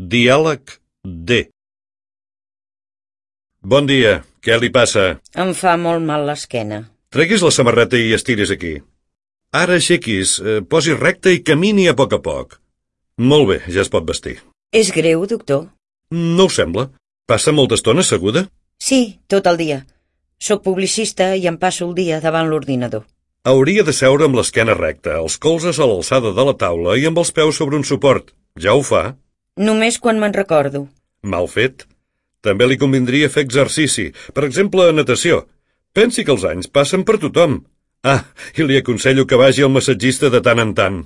Diàleg D. Bon dia, què li passa? Em fa molt mal l'esquena. Treguis la samarreta i estiris aquí. Ara aixequis, posi recte i camini a poc. Molt bé, ja es pot vestir. És greu, doctor? No ho sembla. Passa molta estona asseguda? Sí, tot el dia. Soc publicista i em passo el dia davant l'ordinador. Hauria de seure amb l'esquena recta, els colzes a l'alçada de la taula i amb els peus sobre un suport. Ja ho fa? Només quan me'n recordo. Mal fet. També li convindria fer exercici, per exemple, natació. Pensi que els anys passen per tothom. I li aconsello que vagi al massatgista de tant en tant.